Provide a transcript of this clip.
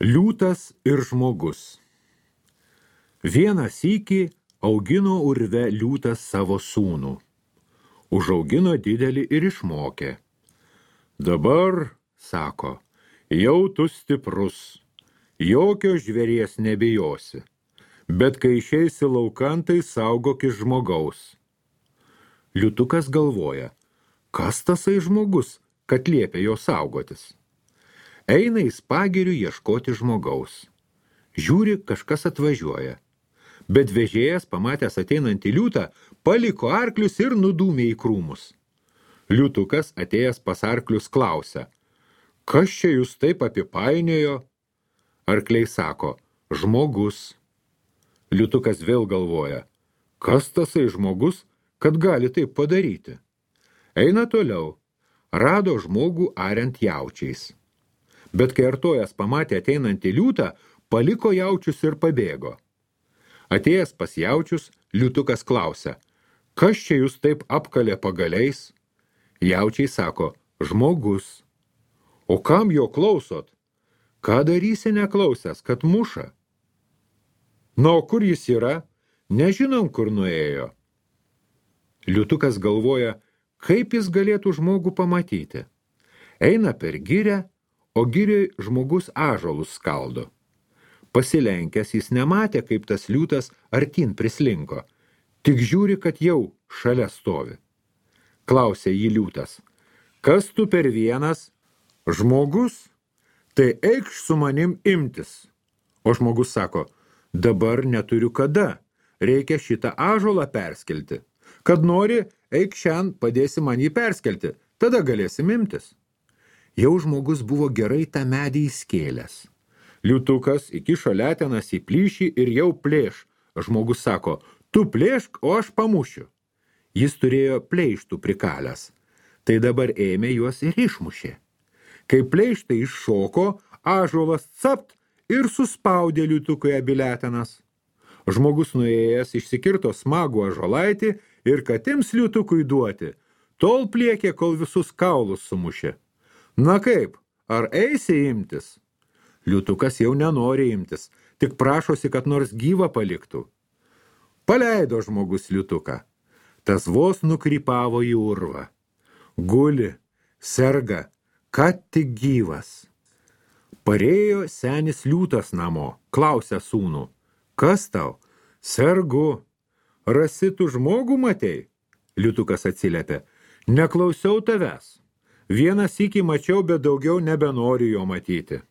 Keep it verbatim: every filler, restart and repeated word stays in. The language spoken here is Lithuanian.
Liūtas ir žmogus. Vieną sykį augino urve liūtas savo sūnų. Užaugino didelį ir išmokė. Dabar, sako, jau tu stiprus, jokio žvėries nebijosi, bet kai išeisi laukan, tai saugokis žmogaus. Liūtukas galvoja, kas tasai žmogus, kad liepia jo saugotis. Eina į pagirių ieškoti žmogaus. Žiūri, kažkas atvažiuoja. Bet vežėjas, pamatęs ateinantį liūtą, paliko arklius ir nudūmė į krūmus. Liūtukas, atėjęs pas arklius, klausia, kas čia jūs taip apipainiojo? Arkliai sako, žmogus. Liūtukas vėl galvoja, kas tasai žmogus, kad gali taip padaryti? Eina toliau, rado žmogų ariant jaučiais. Bet kai artojas pamatė ateinantį liūtą, paliko jaučius ir pabėgo. Atėjęs pas jaučius, liūtukas klausia, kas čia jūs taip apkalė pagaliais? Jaučiai sako, žmogus. O kam jo klausot? Ką darysi neklausęs, kad muša? Na, o kur jis yra? Nežinom, kur nuėjo. Liūtukas galvoja, kaip jis galėtų žmogų pamatyti. Eina per girią, o girioj žmogus ąžuolus skaldo. Pasilenkęs jis nematė, kaip tas liūtas artin prislinko, tik žiūri, kad jau šalia stovi. Klausė jį liūtas, kas tu per vienas? Žmogus? Tai eikš su manim imtis. O žmogus sako, dabar neturiu kada, reikia šitą ąžuolą perskelti. Kad nori, eik šiandien, padėsi man jį perskelti, tada galėsim imtis. Jau žmogus buvo gerai tą medį įskėlęs. Liūtukas įkišo letenas į plyšį ir jau plėš. Žmogus sako, tu plėšk, o aš pamušiu. Jis turėjo pleištų prikalęs. Tai dabar ėmė juos ir išmušė. Kai pleištai iššoko, ąžuolas capt ir suspaudė liūtukui abi letenas. Žmogus nuėjęs išsikirto smagų ąžuolaitį ir kad ims liūtukui duoti, tol pliekė, kol visus kaulus sumušė. Na kaip, ar eisi imtis? Liūtukas jau nenori imtis, tik prašosi, kad nors gyvą paliktų. Paleido žmogus liūtuką. Tas vos nukrypavo į urvą. Guli, serga, kad tik gyvas. Parėjo senis liūtas namo, klausia sūnų. Kas tau? Sergu. Rasi tu žmogų matei? Liūtukas atsiliepė. Neklausiau tavęs. Vieną sykį mačiau, bet daugiau nebenoriu jo matyti.